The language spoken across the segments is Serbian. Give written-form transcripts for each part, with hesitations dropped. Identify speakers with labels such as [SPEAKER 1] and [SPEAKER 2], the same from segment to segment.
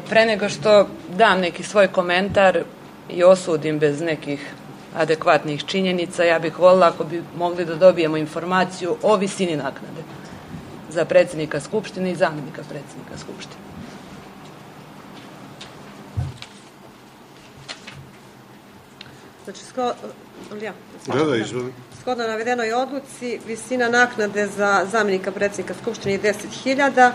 [SPEAKER 1] Pre nego što dam neki svoj komentar i osudim bez nekih adekvatnih činjenica, ja bih voljela ako bi mogli da dobijemo informaciju o visini naknade za predsjednika Skupštine i zamjenika predsjednika Skupštine.
[SPEAKER 2] Znači, shodno navedenoj odluci, visina naknade za zamjenika predsjednika Skupštine je 10.000,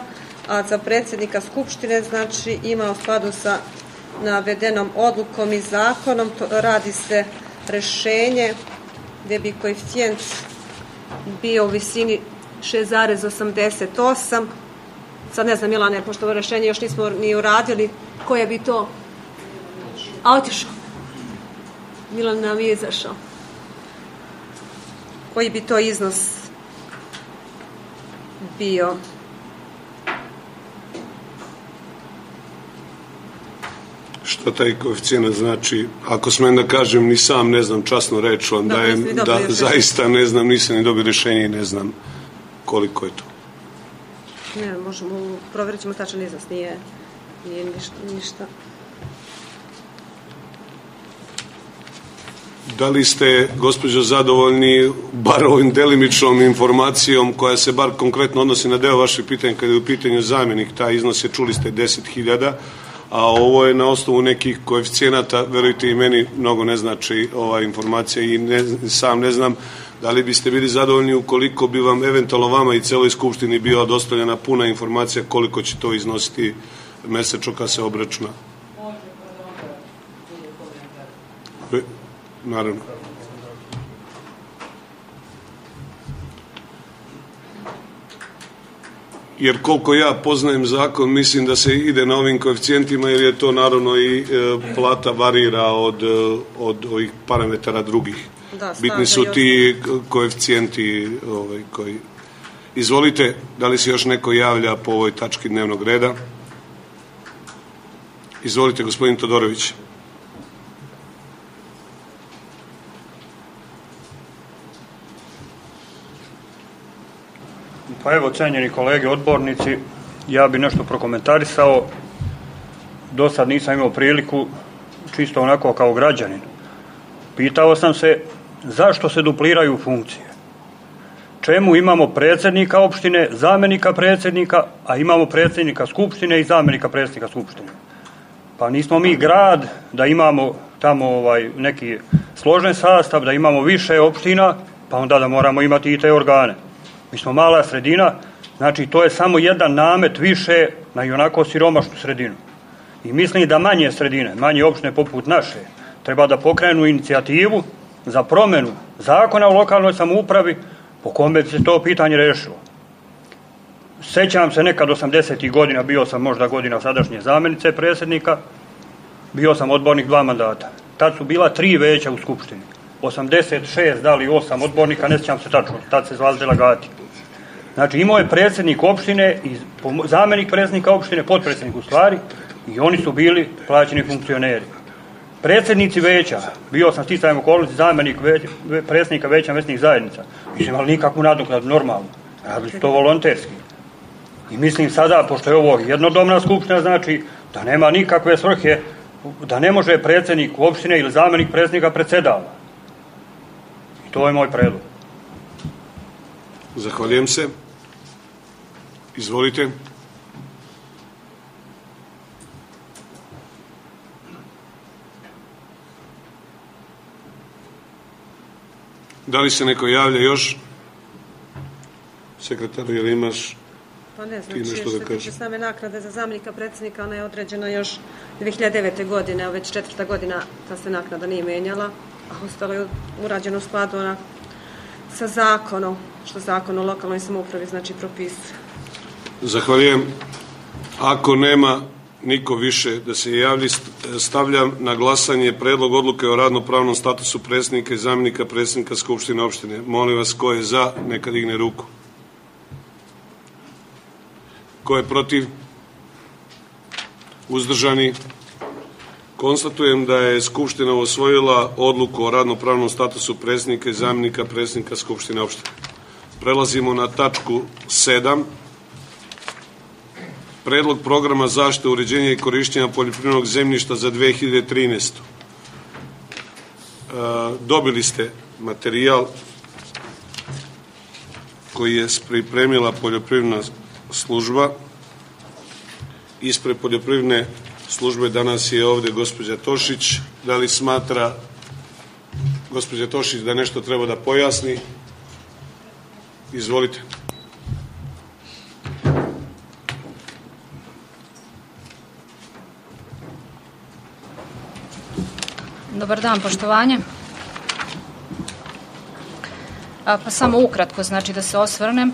[SPEAKER 2] a za predsjednika Skupštine, znači, ima u skladu sa navedenom odlukom i zakonom, radi se rešenje gdje bi koeficijent bio u visini 6,88. Sad ne znam, Milane, pošto ovo rešenje još nismo ni uradili, koje bi to... A otišao. Milan nam je izašao. Koji bi to iznos bio?
[SPEAKER 3] Šta taj koeficijent znači? Ako smem da kažem, ni sam ne znam, časno reč vam dajem, da zaista ne znam, nisam ni dobio rješenje i ne znam koliko je to.
[SPEAKER 2] Ne, možemo, provjerit ćemo tačan iznos, nije ništa.
[SPEAKER 3] Da li ste, gospođo, zadovoljni bar ovim delimičnom informacijom koja se bar konkretno odnosi na deo vašeg pitanja kada je u pitanju zamjenik? Taj iznos je, čuli ste, 10.000, a ovo je na osnovu nekih koeficijenata, verujte i meni mnogo ne znači ova informacija i sam ne znam da li biste bili zadovoljni ukoliko bi vam eventualno vama i celoj Skupštini bila dostavljena puna informacija koliko će to iznositi mesečno kad se obračuna. Naravno. Jer koliko ja poznajem zakon, mislim da se ide na ovim koeficijentima, jer je to naravno i plata varira od ovih parametara drugih. Bitni su ti koeficijenti koji... Izvolite, da li se još neko javlja po ovoj tački dnevnog reda? Izvolite, gospodin Todorović.
[SPEAKER 4] Pa evo, cenjeni kolege odbornici, ja bi nešto prokomentarisao. Do sad nisam imao priliku, čisto onako kao građanin. Pitao sam se zašto se dupliraju funkcije. Čemu imamo predsjednika opštine, zamjenika predsjednika, a imamo predsjednika Skupštine i zamjenika predsjednika Skupštine. Pa nismo mi grad da imamo tamo neki složen sastav, da imamo više opština, pa onda da moramo imati i te organe. Mi smo mala sredina, znači to je samo jedan namet više na i onako siromašnu sredinu. I mislim da manje sredine, manje opštine poput naše, treba da pokrenu inicijativu za promjenu zakona o lokalnoj samoupravi po kome bi se to pitanje rešilo. Sećam se nekad 80. godina, bio sam možda godina sadašnje zamjenice predsjednika, bio sam odbornik 2 mandata. Tad su bila 3 veća u Skupštini. 86, da li 8 odbornika, ne sjećam se tačno, tad se zvali delegati. Znači imao je predsjednik opštine i zamjenik predsjednika opštine, potpredsjednik u stvari, i oni su bili plaćeni funkcioneri. Predsjednici veća, bio sam sticajem okolnosti zamjenik predsjednika veća mesnih zajednica, nisu imali nikakvu nadoknadu normalno, radili su to volonterski. I mislim sada, pošto je ovo jednodomna skupština, znači da nema nikakve svrhe, da ne može predsjednik opštine ili zamjenik predsjednika predsjedava. I to je moj predlog.
[SPEAKER 3] Zahvaljujem se. Izvolite. Da li se neko javlja još? Sekretaru, jel imaš
[SPEAKER 2] pa ne, znači, ti nešto da kažeš? Što se same naknade za zamjenika predsjednika, ona je određena još 2009. godine, a već 4. godina ta se naknada nije menjala, a ostalo je urađeno u skladu sa zakonom, što zakon o lokalnoj samoupravi znači propisuje.
[SPEAKER 3] Zahvaljujem. Ako nema niko više da se javlji, stavljam na glasanje predlog odluke o radnopravnom statusu predsjednika i zamjenika predsjednika Skupštine opštine. Molim vas, ko je za, neka digne ruku. Ko je protiv? Uzdržani? Konstatujem da je Skupština usvojila odluku o radnopravnom statusu predsjednika i zamjenika predsjednika Skupštine opštine. Prelazimo na tačku 7. Predlog programa zaštite, uređenja i korišćenja poljoprivrednog zemljišta za 2013. Dobili ste materijal koji je pripremila poljoprivredna služba. Ispred poljoprivredne službe danas je ovde gospođa Tošić. Da li smatra gospođa Tošić da nešto treba da pojasni? Izvolite.
[SPEAKER 5] Dobar dan, poštovanje. Pa samo ukratko, znači da se osvrnem.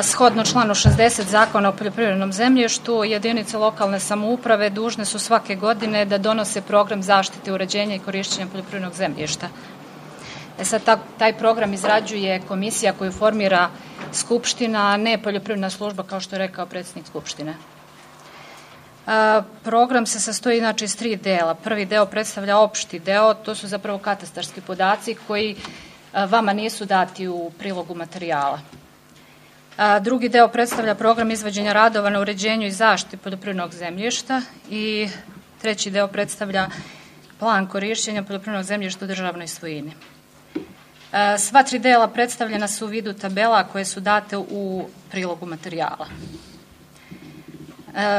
[SPEAKER 5] Shodno članu 60 Zakona o poljoprivrednom zemljištu, jedinice lokalne samouprave dužne su svake godine da donose program zaštite, uređenja i korišćenja poljoprivrednog zemljišta. Sad taj program izrađuje komisija koju formira Skupština, a ne poljoprivredna služba, kao što je rekao predsjednik Skupštine. Program se sastoji znači iz 3 dela. Prvi deo predstavlja opšti deo, to su zapravo katastarski podaci koji vama nisu dati u prilogu materijala. Drugi deo predstavlja program izvođenja radova na uređenju i zaštiti poljoprivrednog zemljišta i treći deo predstavlja plan korišćenja poljoprivrednog zemljišta u državnoj svojini. Sva 3 dela predstavljena su u vidu tabela koje su date u prilogu materijala.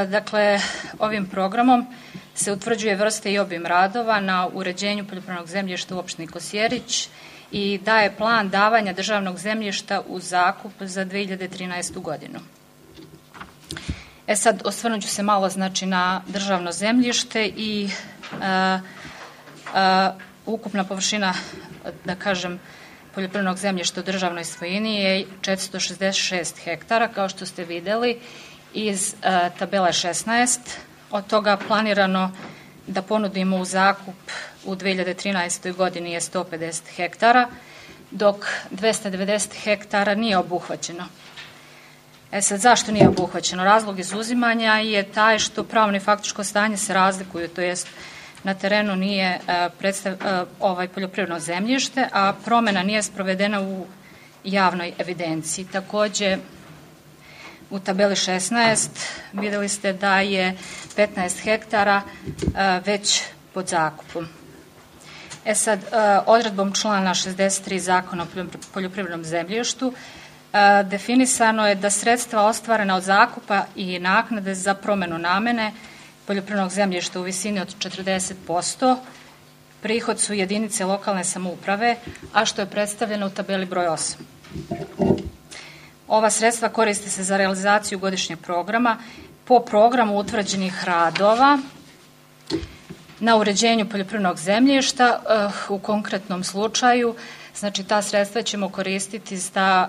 [SPEAKER 5] Dakle, ovim programom se utvrđuje vrste i obim radova na uređenju poljoprivrednog zemljišta u opštini Kosjerić i daje plan davanja državnog zemljišta u zakup za 2013. godinu. Sad osvrnut ću se malo znači na državno zemljište i ukupna površina, da kažem, poljoprivrednog zemljišta u državnoj svojini je 466 hektara, kao što ste videli iz tabele 16. Od toga planirano da ponudimo u zakup u 2013. godini je 150 hektara, dok 290 hektara nije obuhvaćeno. Sad, zašto nije obuhvaćeno? Razlog izuzimanja je taj što pravno i faktičko stanje se razlikuju, to jest na terenu nije poljoprivredno zemljište, a promena nije sprovedena u javnoj evidenciji. Takođe, u tabeli 16 videli ste da je 15 hektara već pod zakupom. Sad, odredbom člana 63 Zakona o poljoprivrednom zemljištu definisano je da sredstva ostvarena od zakupa i naknade za promenu namene poljoprivrednog zemljišta u visini od 40% prihod su jedinice lokalne samouprave, a što je predstavljeno u tabeli broj 8. Ova sredstva koriste se za realizaciju godišnjeg programa po programu utvrđenih radova na uređenju poljoprivrednog zemljišta. U konkretnom slučaju, znači ta sredstva ćemo koristiti za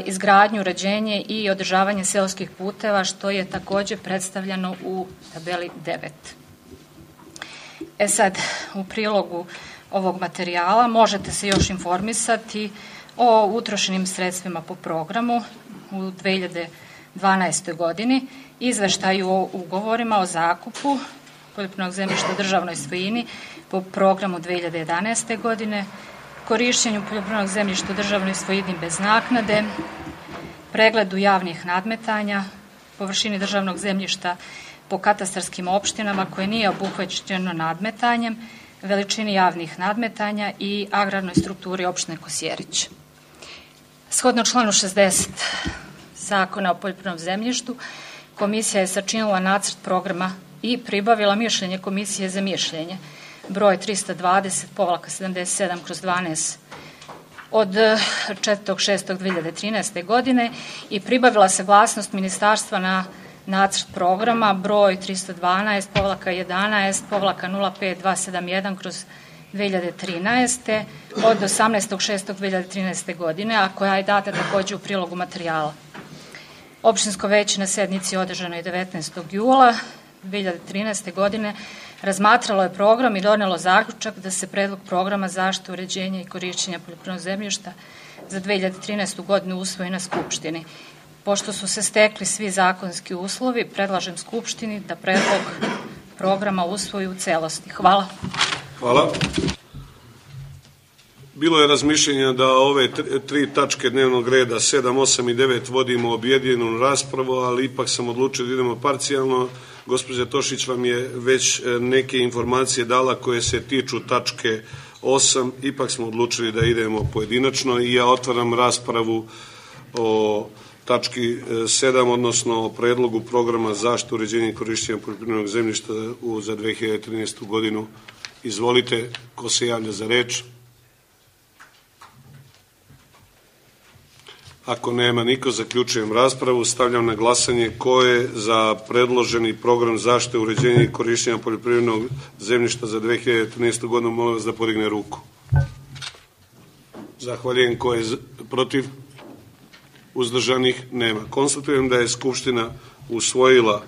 [SPEAKER 5] izgradnju, uređenje i održavanje seoskih puteva, što je takođe predstavljeno u tabeli 9. Sad, u prilogu ovog materijala možete se još informisati o utrošenim sredstvima po programu u 2012. godini, izveštaju o ugovorima o zakupu poljoprivrednog zemljišta u državnoj svojini po programu 2011. godine, korišćenju poljoprivrednog zemljišta u državnoj svojini bez naknade, pregledu javnih nadmetanja, površini državnog zemljišta po katastarskim opštinama koje nije obuhvaćeno nadmetanjem, veličini javnih nadmetanja i agrarnoj strukturi opštine Kosjerić. Shodno članu 60 Zakona o poljoprivrednom zemljištu, komisija je sačinila nacrt programa i pribavila mišljenje Komisije za mišljenje broj 320/77/12 od 4.6.2013. godine i pribavila saglasnost ministarstva na nacrt programa broj 312-11-05-271/2013. od 18.6.2013. godine, a koja je data takođe u prilogu materijala. Opštinsko veće na sednici održanoj 19. jula 2013. godine razmatralo je program i donelo zaključak da se predlog programa zaštite, uređenja i korišćenja poljoprivrednog zemljišta za 2013. godinu usvoji na Skupštini. Pošto su se stekli svi zakonski uslovi, predlažem Skupštini da predlog programa usvoji u celosti. Hvala.
[SPEAKER 3] Hvala. Bilo je razmišljenja da ove tri tačke dnevnog reda, 7, 8 i 9, vodimo objedinjenu raspravu, ali ipak sam odlučio da idemo parcijalno. Gospođa Tošić vam je već neke informacije dala koje se tiču tačke 8, ipak smo odlučili da idemo pojedinačno i ja otvaram raspravu o tački 7, odnosno o predlogu programa zaštite, uređenja i korišćenja poljoprivrednog zemljišta za 2013. godinu. Izvolite, ko se javlja za reč? Ako nema niko, zaključujem raspravu. Stavljam na glasanje ko je za predloženi program zaštite, uređenja i korišćenja poljoprivrednog zemljišta za 2013. godinu. Molim vas da podigne ruku. Zahvaljujem. Ko je protiv? Uzdržanih? Nema. Konstatujem da je Skupština usvojila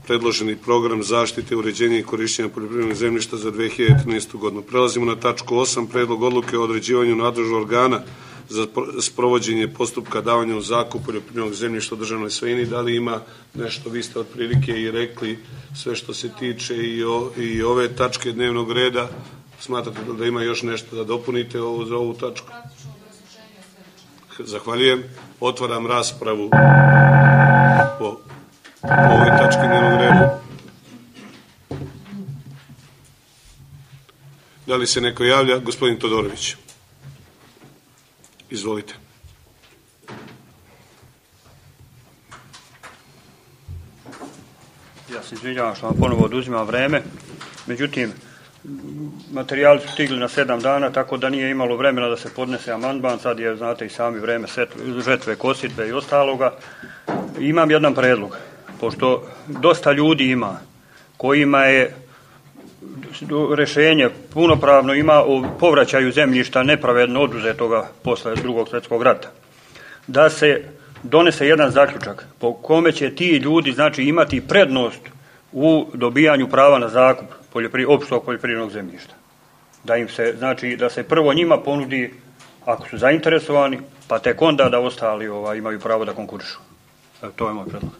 [SPEAKER 3] predloženi program zaštite, uređenja i korišćenja poljoprivrednog zemljišta za 2013. godinu. Prelazimo na tačku 8, predlog odluke o određivanju nadležnog organa za sprovođenje postupka davanja u zakup poljoprivrednog zemljišta u državnoj svojini. Da li ima nešto, vi ste otprilike i rekli sve što se tiče i ove tačke dnevnog reda. Smatrate da ima još nešto da dopunite za ovu tačku? Zahvaljujem. Otvaram raspravu po ovoj tački dnevnog reda. Da li se neko javlja? Gospodin Todorović. Izvolite.
[SPEAKER 4] Ja se izvinjavam što vam ponovo oduzimam vreme, međutim, materijali su stigli na 7 dana, tako da nije imalo vremena da se podnese amandman, sad je, znate i sami, vreme žetve, kositbe i ostaloga. Imam jedan predlog, pošto dosta ljudi ima, kojima je rešenje punopravno ima o povraćaju zemljišta nepravedno oduzetoga posle Drugog svjetskog rata, da se donese jedan zaključak po kome će ti ljudi, znači, imati prednost u dobijanju prava na zakup opštog poljoprivrednog zemljišta. Da im se, znači, da se prvo njima ponudi ako su zainteresovani, pa tek onda da ostali imaju pravo da konkurišu. To je moj predlog.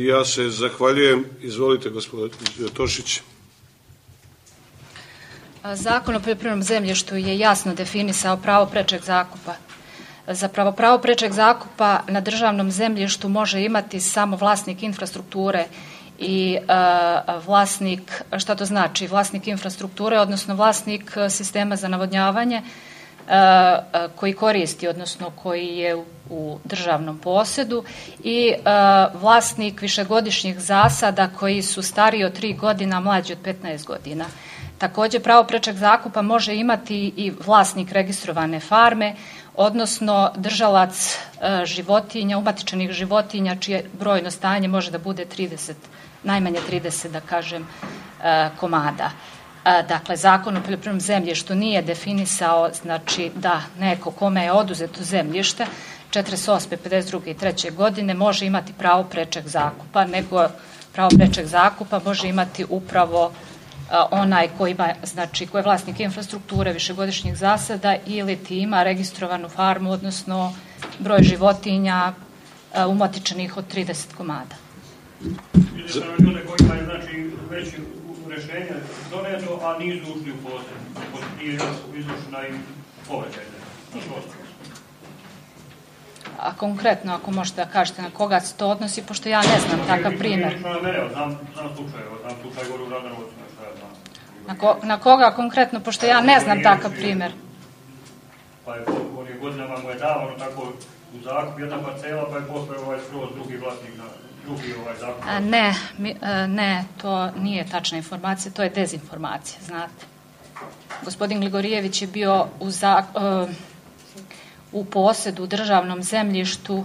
[SPEAKER 3] Ja se zahvaljujem. Izvolite, gospodin Tošić.
[SPEAKER 5] Zakon o poljoprivrednom zemljištu je jasno definisao pravo prečeg zakupa. Zapravo, pravo prečeg zakupa na državnom zemljištu može imati samo vlasnik infrastrukture i vlasnik, šta to znači? Vlasnik infrastrukture, odnosno vlasnik sistema za navodnjavanje koji koristi, odnosno koji je u državnom posedu, i vlasnik višegodišnjih zasada koji su stariji od 3 godina, mlađi od 15 godina. Također, pravo prečeg zakupa može imati i vlasnik registrovane farme, odnosno držalac životinja, umatičenih životinja, čije brojno stanje može da bude 30, najmanje 30, da kažem, komada. Dakle, Zakon o poljoprivrednom zemljištu nije definisao, znači, da neko kome je oduzeto zemljište 48., 52. i 3. godine može imati pravo prečeg zakupa, nego pravo prečeg zakupa može imati upravo onaj koji ima, znači, koji je vlasnik infrastrukture, višegodišnjih zasada ili ti ima registrovanu farmu, odnosno broj životinja umatičenih od 30 komada.
[SPEAKER 4] Za ljude koji imaju, znači, već rešenje doneto, a nisu ušli u posjed, nije izvršena im povraćaj.
[SPEAKER 5] A konkretno, ako možete da kažete na koga se to odnosi, pošto ja ne znam takav primjer.
[SPEAKER 4] Znam slučaj gore u Radanovcu.
[SPEAKER 5] Na koga konkretno, pošto ja ne znam takav primjer?
[SPEAKER 4] Pa je godinama mu je davano tako u zakup jedna parcela, pa je posle skroz drugi vlasnik na drugi zakup. Ne, to nije tačna informacija, to je dezinformacija, znate. Gospodin Gligorijević je bio u posedu u državnom zemljištu,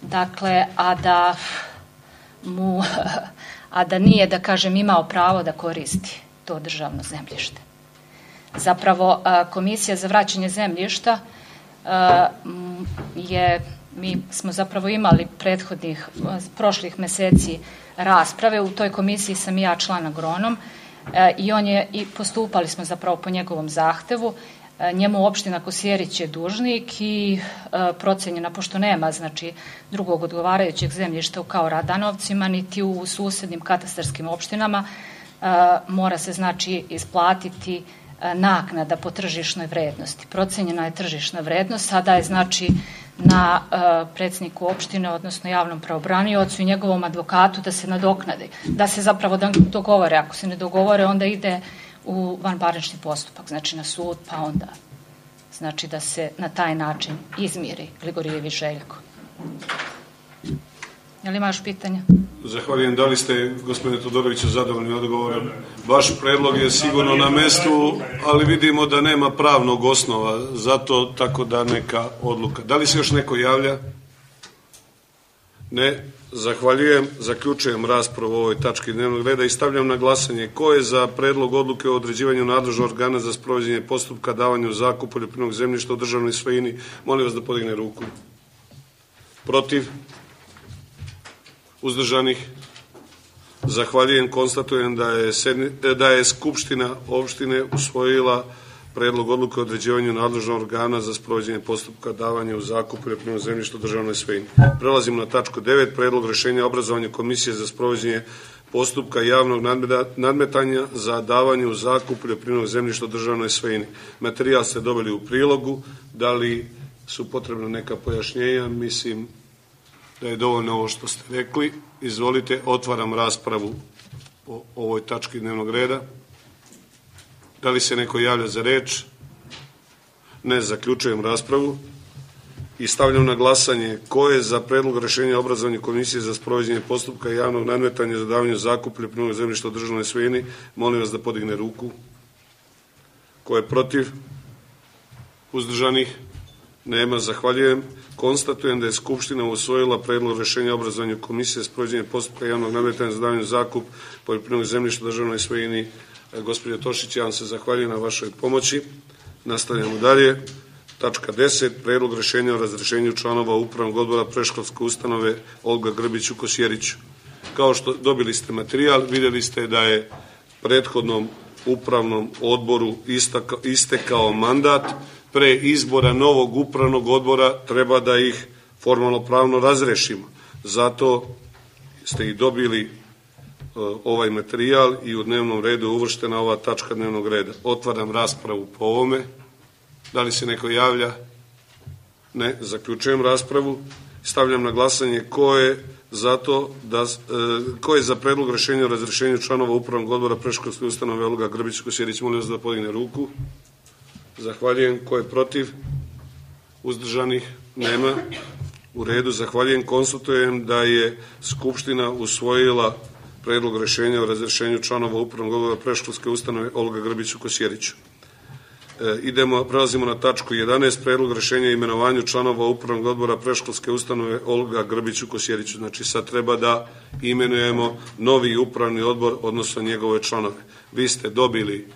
[SPEAKER 4] dakle, a da nije, da kažem, imao pravo da koristi to državno zemljište. Zapravo, Komisija za vraćanje zemljišta mi smo zapravo imali prošlih meseci rasprave, u toj komisiji sam i ja član agronom i postupali smo zapravo po njegovom zahtevu. Njemu opština Kosjerić je dužnik i procenjena, pošto nema, znači, drugog odgovarajućeg zemljišta kao Radanovcima, niti u susednim katastarskim opštinama, mora se, znači, isplatiti
[SPEAKER 5] naknada po tržišnoj vrednosti. Procenjena je tržišna vrednost, sada je znači na predsjedniku opštine, odnosno javnom pravobraniocu i njegovom advokatu da se nadoknade, da se zapravo dogovore. Ako se ne dogovore, onda ide u vanparnični postupak, znači na sud, pa onda znači da se na taj način izmiri Gligorijević Željko. Je li imaš pitanja?
[SPEAKER 3] Zahvaljujem. Da li ste, gospodine Todoroviću, zadovoljni odgovorom? Vaš predlog je sigurno na mestu, ali vidimo da nema pravnog osnova za to, tako da neka odluka. Da li se još neko javlja? Ne. Zahvaljujem. Zaključujem raspravu o ovoj tački dnevnog reda i stavljam na glasanje. Ko je za predlog odluke o određivanju nadležnog organa za sprovođenje postupka davanja u zakup poljoprivrednog zemljišta u državnoj svojini? Molim vas da podigne ruku. Protiv? Uzdržanih? Zahvaljujem. Konstatujem da je Skupština opštine usvojila predlog odluke o određivanju nadležnog organa za sprovođenje postupka davanja u zakup poljoprivrednog zemljišta u državnoj svojini. Prelazimo na tačku 9. Predlog rešenja o obrazovanju Komisije za sprovođenje postupka javnog nadmetanja za davanje u zakup poljoprivrednog zemljišta u državnoj svojini. Materijal ste dobili u prilogu. Da li su potrebna neka pojašnjenja? Mislim da je dovoljno ovo što ste rekli. Izvolite, otvaram raspravu o ovoj tački dnevnog reda. Da li se neko javlja za reč? Ne. Zaključujem raspravu i stavljam na glasanje ko je za predlog rešenja o obrazovanju Komisije za sprovođenje postupka javnog nadmetanja za davanje u zakup poljoprivrednog zemljišta u državnoj svojini. Molim vas da podigne ruku. Ko je protiv? Uzdržanih? Nema. Zahvaljujem. Konstatujem da je Skupština usvojila predlog rešenja o obrazovanju Komisije za sprovođenje postupka javnog nadmetanja za davanje u zakup poljoprivrednog zemljišta u državnoj svojini. Gospođo Tošić, ja vam se zahvaljujem na vašoj pomoći. Nastavljamo dalje. Tačka 10. Predlog rešenja o razrešenju članova Upravnog odbora predškolske ustanove Olga Grbić u Kosjeriću. Kao što dobili ste materijal, vidjeli ste da je prethodnom upravnom odboru istekao mandat. Pre izbora novog upravnog odbora treba da ih formalno pravno razrešimo. Zato ste i dobili ovaj materijal i u dnevnom redu je uvrštena ova tačka dnevnog reda. Otvaram raspravu po ovome. Da li se neko javlja? Ne. Zaključujem raspravu. Stavljam na glasanje ko je za predlog rešenja o razrešenju članova Upravnog odbora predškolske ustanove Olga Grbić Kosjerić. Molim vas da podigne ruku. Zahvaljujem. Ko je protiv? Uzdržanih? Nema. U redu. Zahvaljujem. Konstatujem da je Skupština usvojila predlog rešenja o razrešenju članova Upravnog odbora predškolske ustanove Olga Grbić u Kosjeriću. Prelazimo na tačku 11. Predlog rešenja o imenovanju članova Upravnog odbora predškolske ustanove Olga Grbić u Kosjeriću. Znači sad treba da imenujemo novi upravni odbor, odnosno njegove članove. Vi ste dobili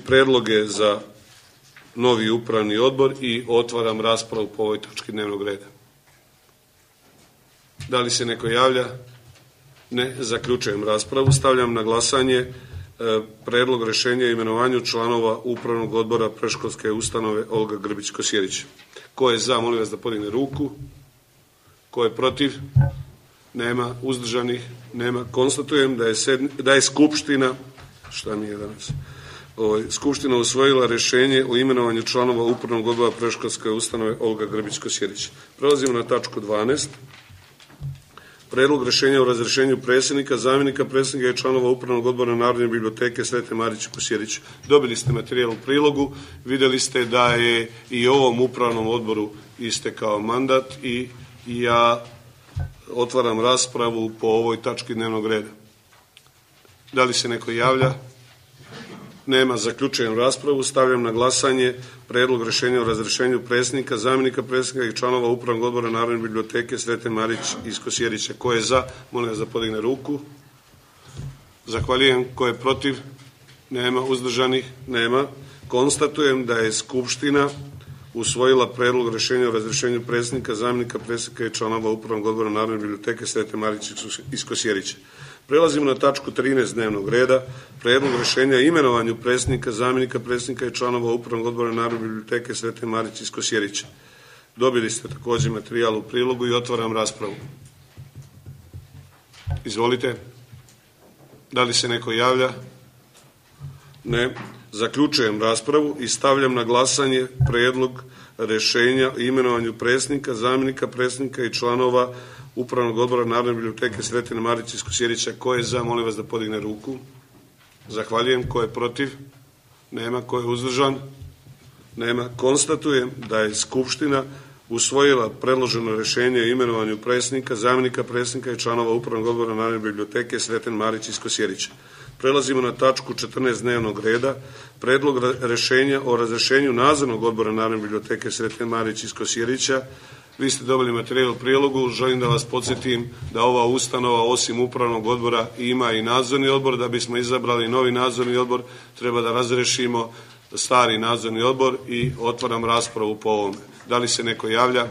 [SPEAKER 3] predloge za novi upravni odbor i otvaram raspravu po ovoj tački dnevnog reda. Da li se neko javlja? Ne. Zaključujem raspravu. Stavljam na glasanje predlog rešenja o imenovanju članova Upravnog odbora predškolske ustanove Olga Grbić Kosjerić. Ko je za, molim vas da podigne ruku. Ko je protiv? Nema. Uzdržanih? Nema. Konstatujem da je Skupština, Skupština usvojila rešenje o imenovanju članova Upravnog odbora predškolske ustanove Olga Grbić Kosjerić. Prelazimo na tačku 12. Predlog rešenja o razrešenju predsjednika, zamjenika predsjednika i članova Upravnog odbora Narodne biblioteke Svete Marić u Kosjeriću. Dobili ste materijal u prilogu, vidjeli ste da je i ovom upravnom odboru istekao mandat i ja otvaram raspravu po ovoj tački dnevnog reda. Da li se neko javlja? Nema. Zaključujem raspravu. Stavljam na glasanje predlog rešenja o razrešenju predsjednika, zamjenika predsjednika i članova Upravnog odbora Narodne biblioteke Svete Marić iz Kosjerića. Ko je za? Molim vas da podigne ruku. Zahvaljujem. Ko je protiv? Nema. Uzdržanih? Nema. Konstatujem da je Skupština usvojila predlog rešenja o razrešenju predsjednika, zamjenika predsjednika i članova Upravnog odbora Narodne biblioteke Svete Marić iz Kosjerića. Prelazimo na tačku 13 dnevnog reda, predlog rešenja o imenovanju predsjednika, zamjenika predsjednika i članova Upravnog odbora Narodne biblioteke Svete Marić iz Kosjerića. Dobili ste također materijal u prilogu i otvaram raspravu. Izvolite. Da li se neko javlja? Ne. Zaključujem raspravu i stavljam na glasanje predlog rešenja o imenovanju predsjednika, zamjenika predsjednika i članova Upravnog odbora Narodne biblioteke Sretena Marića iz Kosjerića. Ko je za? Molim vas da podigne ruku. Zahvaljujem. Ko je protiv? Nema. Ko je uzdržan? Nema. Konstatujem da je Skupština usvojila predloženo rešenje o imenovanju predsjednika, zamjenika predsjednika i članova Upravnog odbora Narodne biblioteke Sreten Marić iz Kosjerića. Prelazimo na tačku 14 dnevnog reda, predlog rešenja o razrešenju nadzornog odbora Narodne biblioteke Sreten Marić iz Kosjerića. Vi ste dobili materijal u prilogu, želim da vas podsjetim da ova ustanova osim upravnog odbora ima i nadzorni odbor. Da bismo izabrali novi nadzorni odbor treba da razrešimo stari nadzorni odbor i otvaram raspravu po ovome. Da li se neko javlja?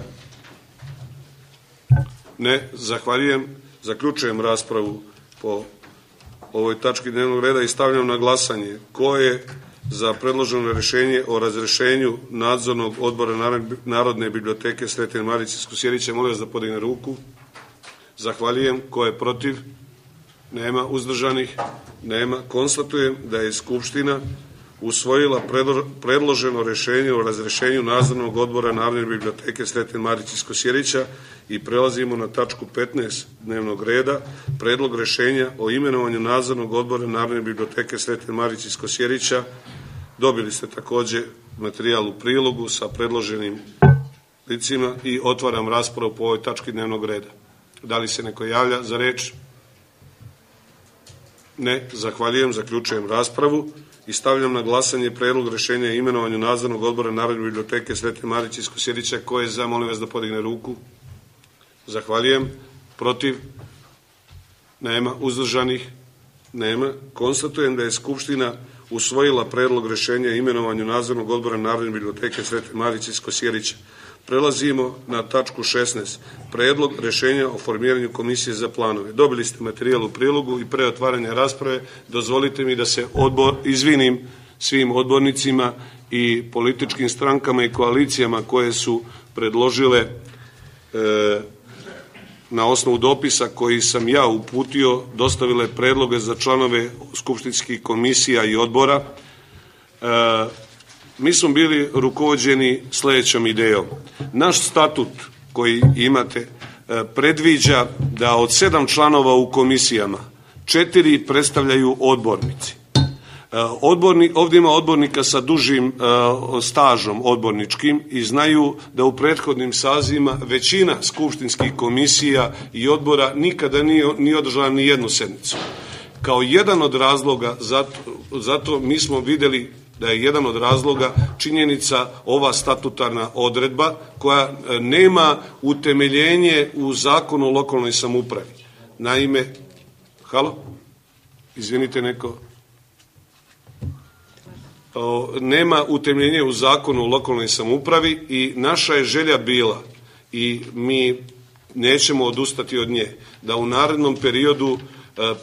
[SPEAKER 3] Ne, zahvaljujem. Zaključujem raspravu po ovoj tački dnevnog reda i stavljam na glasanje. Ko je za predloženo rešenje o razrešenju nadzornog odbora Narodne biblioteke Sreten Marić iz Kosjerića? Molim vas da podigne ruku. Zahvaljujem. Ko je protiv? Nema. Uzdržanih? Nema. Konstatujem da je Skupština usvojila predloženo rešenje o razrešenju nadzornog odbora Narodne biblioteke Sreten Marić iz Kosjerića i prelazimo na tačku 15 dnevnog reda, predlog rešenja o imenovanju nadzornog odbora Narodne biblioteke Sreten Marić iz Kosjerića. Dobili ste takođe materijal u prilogu sa predloženim licima i otvaram raspravu po ovoj tački dnevnog reda. Da li se neko javlja za reč? Ne, zahvaljujem, zaključujem raspravu i stavljam na glasanje predlog rešenja o imenovanju nadzornog odbora Narodne biblioteke Sreten Marić iz Kosjerića. Ko je za? Molim vas da podigne ruku. Zahvaljujem. Protiv? Nema. Uzdržanih? Nema. Konstatujem da je Skupština usvojila predlog rešenja o imenovanju nadzornog odbora Narodne biblioteke Sreten Marić iz Kosjerića. Prelazimo na tačku 16. Predlog rešenja o formiranju komisije za planove. Dobili ste materijal u prilogu i pre otvaranja rasprave dozvolite mi da se izvinim svim odbornicima i političkim strankama i koalicijama koje su predložile na osnovu dopisa koji sam ja uputio, dostavile predloge za članove skupštinskih komisija i odbora. Mi smo bili rukovođeni sledećom idejom. Naš statut koji imate predviđa da od 7 članova u komisijama 4 predstavljaju odbornici. Ovdje ima odbornika sa dužim stažom odborničkim i znaju da u prethodnim sazivima većina skupštinskih komisija i odbora nikada nije održala ni jednu sednicu. Kao jedan od razloga, zato mi smo videli da je jedan od razloga činjenica ova statutarna odredba koja nema utemeljenje u Zakonu o lokalnoj samoupravi. Naime, izvinite neko, nema utemeljenje u Zakonu o lokalnoj samoupravi i naša je želja bila i mi nećemo odustati od nje, da u narednom periodu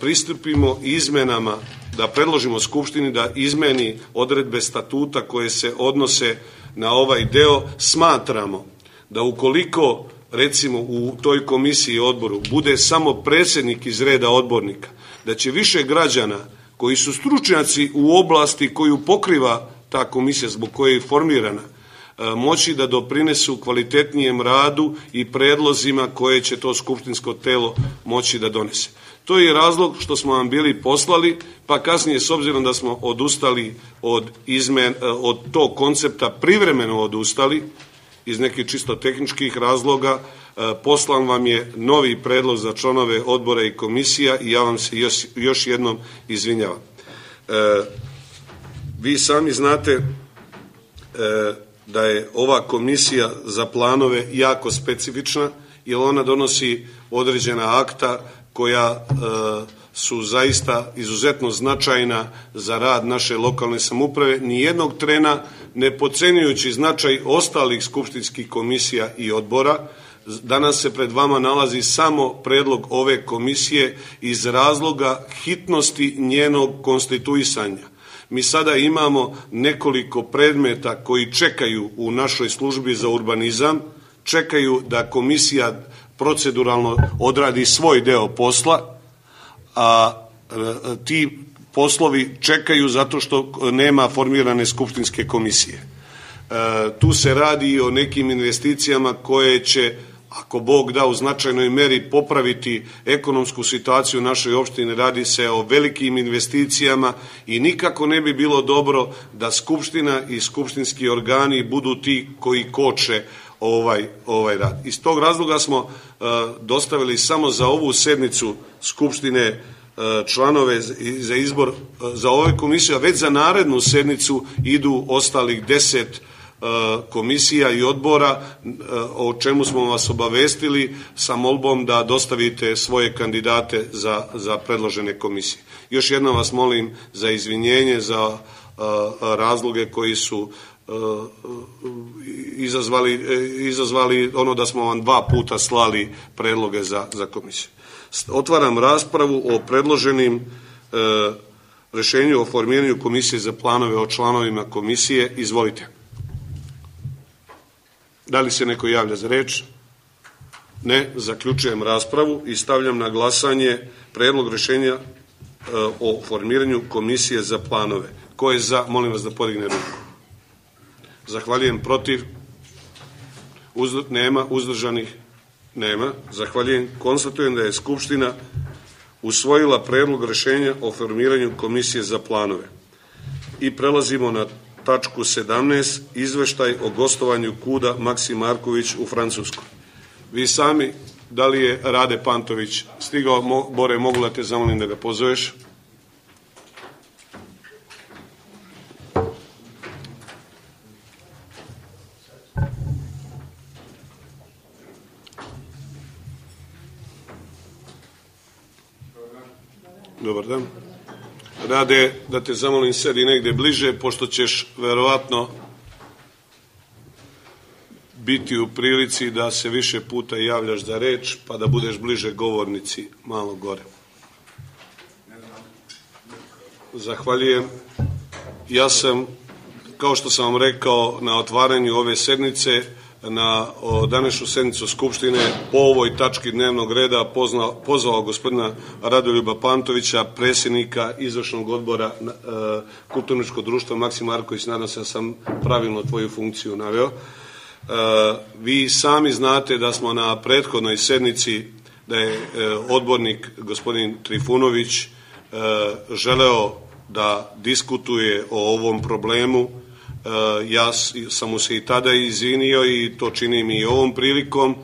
[SPEAKER 3] pristupimo izmenama, da predložimo Skupštini da izmeni odredbe statuta koje se odnose na ovaj deo. Smatramo da ukoliko, recimo, u toj komisiji i odboru bude samo predsjednik iz reda odbornika, da će više građana koji su stručnjaci u oblasti koju pokriva ta komisija zbog koje je formirana, moći da doprinesu kvalitetnijem radu i predlozima koje će to skupštinsko telo moći da donese. To je razlog što smo vam bili poslali, pa kasnije, s obzirom da smo odustali od tog koncepta, privremeno odustali, iz nekih čisto tehničkih razloga, poslan vam je novi predlog za članove odbora i komisija i ja vam se još jednom izvinjavam. Vi sami znate da je ova komisija za planove jako specifična, jer ona donosi određena akta koja su zaista izuzetno značajna za rad naše lokalne samouprave, nijednog trena ne podcenjujući značaj ostalih skupštinskih komisija i odbora. Danas se pred vama nalazi samo predlog ove komisije iz razloga hitnosti njenog konstituisanja. Mi sada imamo nekoliko predmeta koji čekaju u našoj službi za urbanizam, čekaju da komisija proceduralno odradi svoj deo posla, a ti poslovi čekaju zato što nema formirane skupštinske komisije. Tu se radi i o nekim investicijama koje će, ako Bog da, u značajnoj meri popraviti ekonomsku situaciju u našoj opštini. Radi se o velikim investicijama i nikako ne bi bilo dobro da Skupština i skupštinski organi budu ti koji koče ovaj rad. Iz tog razloga smo dostavili samo za ovu sednicu Skupštine članove za izbor za ovu komisiju, a već za narednu sednicu idu ostalih 10 komisija i odbora, o čemu smo vas obavestili sa molbom da dostavite svoje kandidate za predložene komisije. Još jednom vas molim za izvinjenje za razloge koji su izazvali ono da smo vam 2 puta slali predloge za komisiju. Otvaram raspravu o predloženim rešenju o formiranju komisije za planove o članovima komisije. Izvolite. Da li se neko javlja za reč? Ne. Zaključujem raspravu i stavljam na glasanje predlog rešenja o formiranju komisije za planove. Ko je za? Molim vas da podigne ruku. Zahvaljujem. Protiv? Nema. Uzdržanih? Nema. Zahvaljujem. Konstatujem da je Skupština usvojila predlog rešenja o formiranju komisije za planove. I prelazimo na tačku 17. Izveštaj o gostovanju KUD-a Maksim Marković u Francuskoj. Vi sami, da li je Rade Pantović stigao? Bore, mogu da te zamolim da ga pozoveš? Dobar dan. Rade, da te zamolim sedi negde bliže, pošto ćeš verovatno biti u prilici da se više puta javljaš za reč, pa da budeš bliže govornici malo gore. Zahvaljujem. Ja sam, kao što sam vam rekao na otvaranju ove sednice, na današnju sednicu Skupštine po ovoj tački dnevnog reda pozvao gospodina Radoljuba Pantovića, predsjednika izvršnog odbora Kulturničkog društva Maksim Marković. Nadam se da sam pravilno tvoju funkciju naveo. Vi sami znate da smo na prethodnoj sednici, da je odbornik gospodin Trifunović želeo da diskutuje o ovom problemu. Ja sam mu se i tada izvinio i to činim i ovom prilikom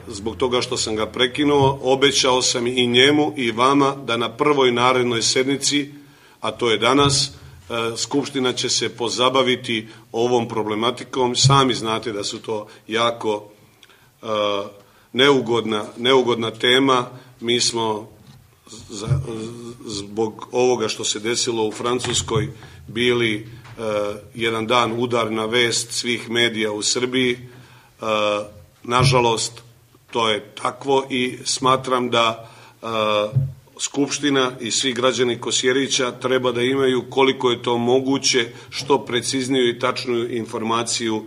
[SPEAKER 3] zbog toga što sam ga prekinuo. Obećao sam i njemu i vama da na prvoj narednoj sednici, a to je danas, Skupština će se pozabaviti ovom problematikom. Sami znate da su to jako neugodna tema. Mi smo zbog ovoga što se desilo u Francuskoj bili jedan dan udarna vest svih medija u Srbiji. Nažalost, to je takvo i smatram da Skupština i svi građani Kosjerića treba da imaju, koliko je to moguće, što precizniju i tačniju informaciju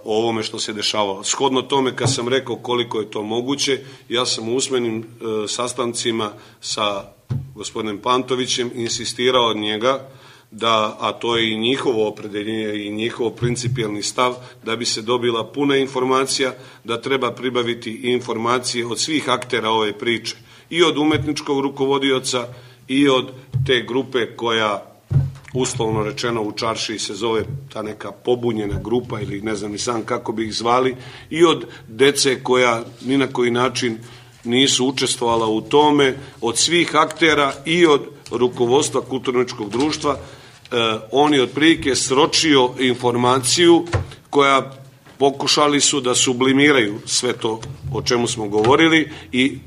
[SPEAKER 3] o ovome što se dešavalo. Shodno tome, kad sam rekao koliko je to moguće, ja sam u usmenim sastancima sa gospodinom Pantovićem insistirao od njega da, a to je i njihovo opredeljenje i njihov principijelni stav, da bi se dobila puna informacija, da treba pribaviti informacije od svih aktera ove priče, i od umetničkog rukovodioca i od te grupe koja, uslovno rečeno u čaršiji se zove ta neka pobunjena grupa ili ne znam ni sam kako bi ih zvali, i od dece koja ni na koji način nisu učestvovala u tome, od svih aktera i od rukovodstva Kulturničkog društva. On je otprilike sročio informaciju koja pokušali su da sublimiraju sve to o čemu smo govorili i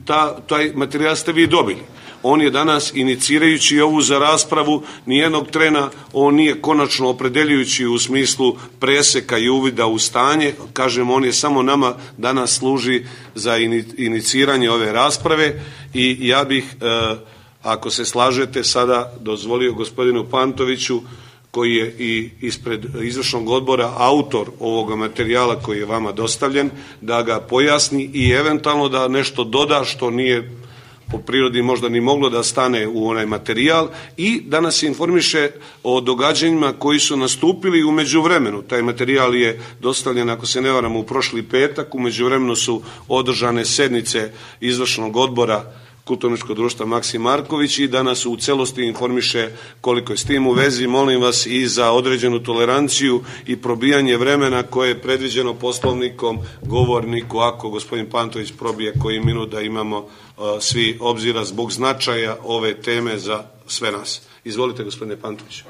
[SPEAKER 3] taj materijal ste vi dobili. On je danas, inicirajući ovu za raspravu, nijednog trena on nije konačno opredeljujući u smislu preseka i uvida u stanje. Kažem, on je samo nama danas služi za iniciranje ove rasprave i ja bih, ako se slažete, sada dozvolio gospodinu Pantoviću, koji je i ispred izvršnog odbora autor ovoga materijala koji je vama dostavljen, da ga pojasni i eventualno da nešto doda što nije po prirodi možda ni moglo da stane u onaj materijal i da nas informiše o događanjima koji su nastupili u međuvremenu. Taj materijal je dostavljen, ako se ne varam, u prošli petak. U međuvremenu su održane sednice izvršnog odbora Kulturničkog društva Maksim Marković i da nas u celosti informiše koliko je s tim u vezi. Molim vas i za određenu toleranciju i probijanje vremena koje je predviđeno Poslovnikom govorniku, ako gospodin Pantović probije koji minut, da imamo svi obzira zbog značaja ove teme za sve nas. Izvolite, gospodine Pantović.